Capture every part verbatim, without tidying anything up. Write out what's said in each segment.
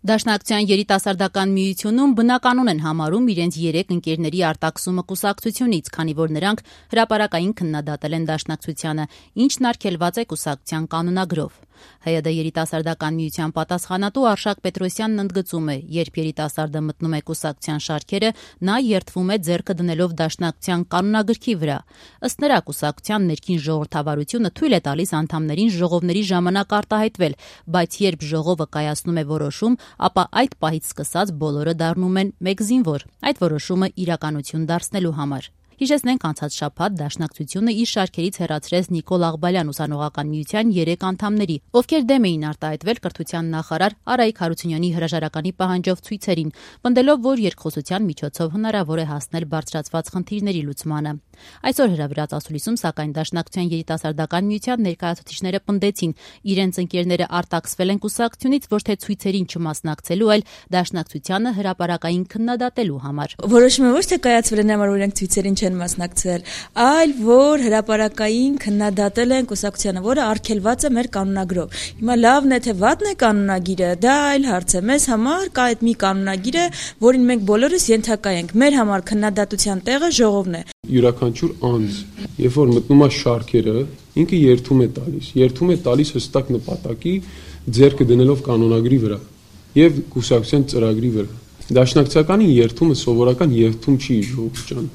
Դաշնակցության երիտասարդական միությունում բնականon են համարում իրենց երեք ընկերների արտաքսումը կուսակցությունից, քանի որ նրանք հրապարակային քննադատել են Դաշնակցությանը, ինչն արգելված է կուսակցության կանոնագրով։ ՀՅԴ երիտասարդական միության պատասխանատու Արշակ Պետրոսյանն ընդգծում է, երբ երիտասարդը մտնում է կուսակցության շարքերը, նա երդվում է ձեռքը դնելով Դաշնակցության կանոնագրքի վրա։ Ըստ նրա, կուսակցության ներքին ժողովրդավարությունը թույլ է տալիս անդամներին ժողովների ժամանակ արտահայտվել, բայց երբ ժողովը կայացնում է որոշում, ապա այդ պահից սկսած բոլորը դառնում են մեկ զինվոր, այդ որոշումը իրականություն դարձնելու համար։ Հիշեցնենք, անցած շաբաթ Դաշնակցությունը իր շարքերից հեռացրեց Նիկոլ Աղբալյան ուսանողական միության երեք անդամների, ովքեր դեմ էին արտահայտվել կրթության նախարար Արայիկ Հարությունյանի հրաժարականի պահանջով ցույցերին, պնդելով, որ երկխոսության միջոցով հնարավոր է հասնել բարձրացված խնդիրների լուծմանը։ Այսօր հրավիրած ասուլիսում, սակայն Դաշնակցության երիտասարդական միության ներկայացուցիչները պնդեցին, իրենց ընկերները արտաքսվել են կուսակցությունից ոչ թե ցույցերին չմասնակցելու, այլ Դաշնակցությանը հրապարակային քննադատելու համար։ Որոշումը ոչ թե կայացվել է նամար, որ իրենք ցույցերին չեն մասնակցել, այլ որ հրապարակային քննադատել են կուսակցությանը, որը արգելված է մեր կանոնագրով։ Հիմա լավն է թե վատն է կանոնագիրը, դա այլ հարց է։ Մեզ համար կա այդ մի կանոնագիր է, որին մենք բոլորս ենթակա ենք։ Մեր համար քննադատության տեղը ժողովն է։ Յուրաքանչյուր անձ, երբ որ մտնում է շարքերը, ինքը երդում է տալիս, երդում է տալիս հստակ նպատակի, ձեռքը դնելով կանոնագրի վրա եւ կուսակցության ծրագրի վրա։ Դաշնակցականի երդումը սովորական երդում չի, ժողովուրդ ջան։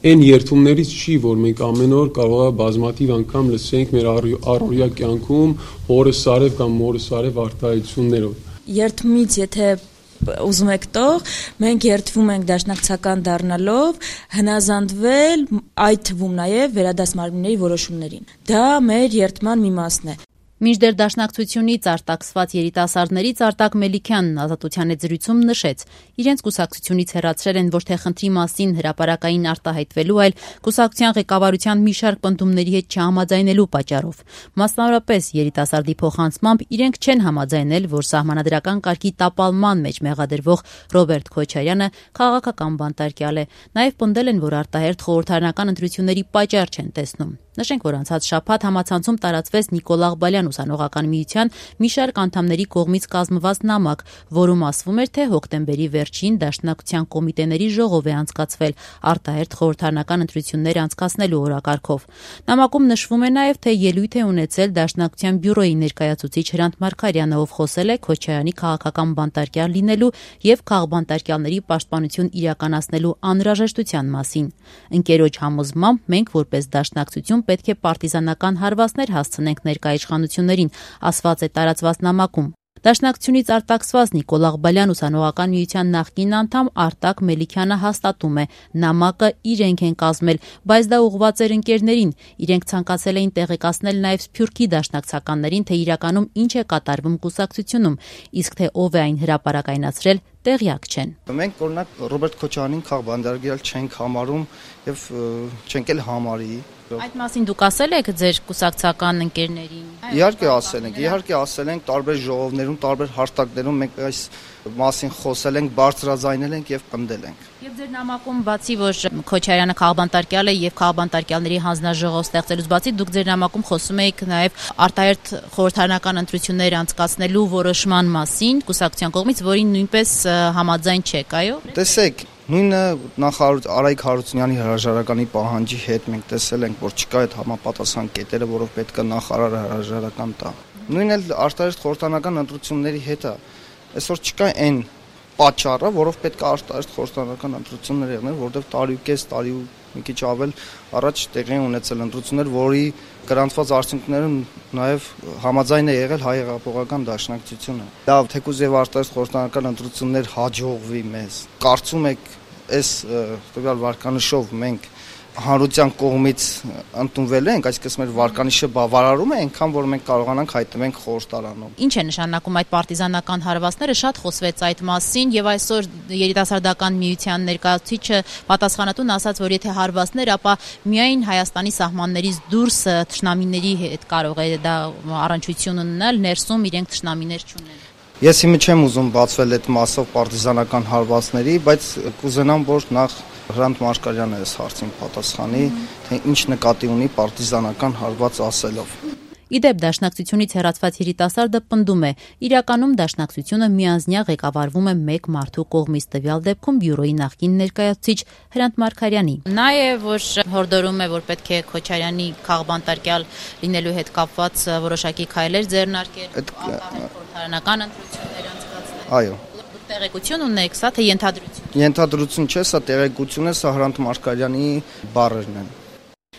Այն երդումներից չի, որ մենք ամեն օր կարող է բազմաթիվ անգամ լսենք մեր առօրյա կյանքում հորը սարև կամ մորը սարև արտահայտություններով։ Երդումից եթե ուզում եք տող, մենք երդվում ենք դաշնակցական դառնալով հնազանդվել այդ թվում նաև վերադասմարմինների որոշումներին։ Դա մեր երդման մի մասն է։ Մինչդեռ Դաշնակցությունից արտաքսված երիտասարդներից Արտակ Մելիքյանն Ազատության հետ զրույցում նշեց, իրենց կուսակցությունից հեռացրել են ոչ թե խնդրի մասին հրապարակային արտահայտվելու, այլ կուսակցության ղեկավարության մի շարք պնդումների հետ չհամաձայնելու պատճառով։ Մասնավորապես երիտասարդի փոխանցմամբ իրենք չեն համաձայնել, որ սահմանադրական կարգի տապալման մեջ մեղադրվող Ռոբերտ Քոչարյանը քաղաքական բանտարկյալ է։ Նաև պնդել են, որ արտահերթ խորհրդարանական ընտրությունների պատճառ չեն տեսնում։ Նշենք, որ անցած շաբաթ համացանցում տարածվեց Նիկոլ Աղբալյան ուսանողական միության մի շարք անդամների կողմից կազմված նամակ, որում ասվում էր, թե հոկտեմբերի վերջին Դաշնակցության կոմիտեների ժողով է անցկացվել արտահերթ խորհրդարանական ընտրություններ անցկացնելու օրակարգով։ Նամակում նշվում է նաև, թե ելույթ է ունեցել Դաշնակցության բյուրոյի ներկայացուցիչ Հրանտ Մարգարյանը, ով խոսել է Քոչարյանի քաղաքական բանտարկյալ լինելու եւ քաղբանտարկյալների պաշտպանություն իրականացնելու անհրաժեշտության մասին։ Ընկերոջ համոզմամբ մենք որպես Դաշնակցություն պետք է պարտիզանական հարվածներ հասցնենք ներկայ իշխանություններին, ասված է տարածված նամակում։ Դաշնակցությունից արտաքսված Նիկոլ Աղբալյան ուսանողական միության նախկին անդամ Արտակ Մելիքյանը հաստատում է, նամակը իրենք են կազմել, բայց դա ուղղված էր ընկերներին։ Իրենք ցանկացել էին տեղեկացնել նաև Սփյուռքի դաշնակցականներին, թե իրականում ինչ է կատարվում կուսակցությունում, իսկ թե ով է այն հրապարակայնացրել, տեղյակ չեն։ Մենք օրինակ Ռոբերտ Քոչարյանին քաղբանտարկյալ չենք համարում եւ չենք էլ համարի։ Այդ մասին դուք ասել եք ձեր կուսակցական ընկերներին։ Իհարկե ասել ենք, իհարկե ասել ենք տարբեր ժողովներում, տարբեր հարթակներում մենք այս մասին խոսել ենք, բարձրաձայնել ենք եւ պնդել ենք։ Եվ ձեր նամակում բացի որ Քոչարյանը քաղբանտարկյալ է եւ քաղբանտարկյալների հանձնաժողով ստեղծելուց բացի, դուք ձեր նամակում խոսում եք նաեւ արտահերթ խորհրդարանական ընտրություններ անցկացնելու որոշման մասին կուսակցության կողմից, որին նույնպես համաձայն չեք, այո։ Տեսեք, նույնը նախարար Արայիկ Հարությունյանի հրաժարականի պահանջի հետ մենք տեսել ենք, որ չկա այդ համապատասխան կետերը, որով պետք է նախարարը հրաժարական տա։ Նույնն էլ արտահերթ խորհրդարանական ընտրությունների հետ է։ Այսօր չկա այն պատճառը, որով պետք է արտահերթ խորհրդարանական ընտրություններ եղնել, որովհետև տարի ու կես, տարի ու մի քիչ ավել առաջ տեղի ունեցել ընտրություններ, որի գրանցված արդյունքները նաև համաձայն է եղել Հայ հեղափոխական դաշնակցությունը։ Լավ, թեկուզ եւ արտահերթ խորհրդարանական ընտրություններ հաջողվի մեզ։ Կարծում եք, այս տվյալ վարկանիշով մենք հանրության կողմից ընդունվել ենք, այսինքն մեր վարկանիշը բավարարում է այնքան, որ մենք կարողանանք հայտնվենք խորհրդարանում։ Ինչ է նշանակում այդ պարտիզանական հարվածները, շատ խոսվեց այդ մասին եւ այսօր երիտասարդական միության ներկայացուցիչը պատասխանատուն ասաց, որ եթե հարվածներ, ապա միայն Հայաստանի սահմաններից դուրս թշնամիների հետ կարող է դա առնչություն ունենալ, ներսում իրենք թշնամիներ չունեն։ Ես հիմա չեմ ուզում բացվել այդ մասով պարտիզանական հարվածների, բայց կուզենամ, որ նախ Հրանտ Մարգարյանը այս հարցին պատասխանի, թե ինչ նկատի ունի պարտիզանական հարված ասելով։ Իդեպ դաշնակցությունից հեռացված երիտասարդը պնդում է, իրականում դաշնակցությունը միանձնյա ղեկավարվում է մեկ մարդու կողմից, տվյալ դեպքում բյուրոյի նախկին ներկայացուցիչ Հրանտ Մարգարյանի։ Նա է, որ հորդորում է, որ պետք է Քոչարյանի քաղբանտարկյալ լինելու հետ կապված որոշակի քայլեր ձեռնարկել, խորհրդարանական ընտրություններ անցկացնել։ Այո։ Տեղեկություն ունեք, սա թե ենթադրություն։ Ենթադրություն չէ, սա տեղեկություն է, սա Հրանտ Մարգարյանի բառերն են։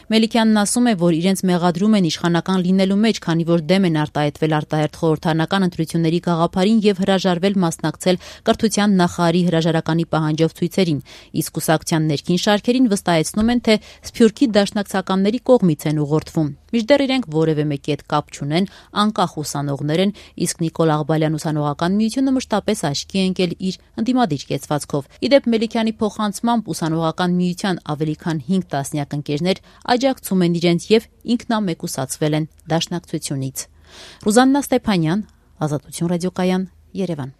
Մելիքյանն ասում է, որ իրենց մեղադրում են իշխանական լինելու մեջ, քանի որ դեմ են արտահայտվել արտահերթ խորհրդարանական ընտրությունների գաղափարին եւ հրաժարվել մասնակցել կրթության նախարարի հրաժարականի պահանջով ցույցերին, իսկ կուսակցության ներքին շարքերին վստահեցնում են, թե Սփյուռքի դաշնակցականների կողմից են ուղղորդվում։ Մինչդեռ իրենք որևէ մեկի հետ կապ չունեն, անկախ ուսանողներ են, իսկ Նիկոլ Աղբալյան ուսանողական միությունը մշտապես աչքի է ընկել իր ընդդիմադիր կեցվածքով։ Իդեպ Մելիքյանի փոխանցմամբ ուսանողական միության ավելի քան հինգ տասնյակ ընկերներ աջակցում են իրենց եւ ինքնամեկուսացվել են դաշնակցությունից։ Ռուզաննա Ստեփանյան, Ազատություն ռադիոկայան, Երևան։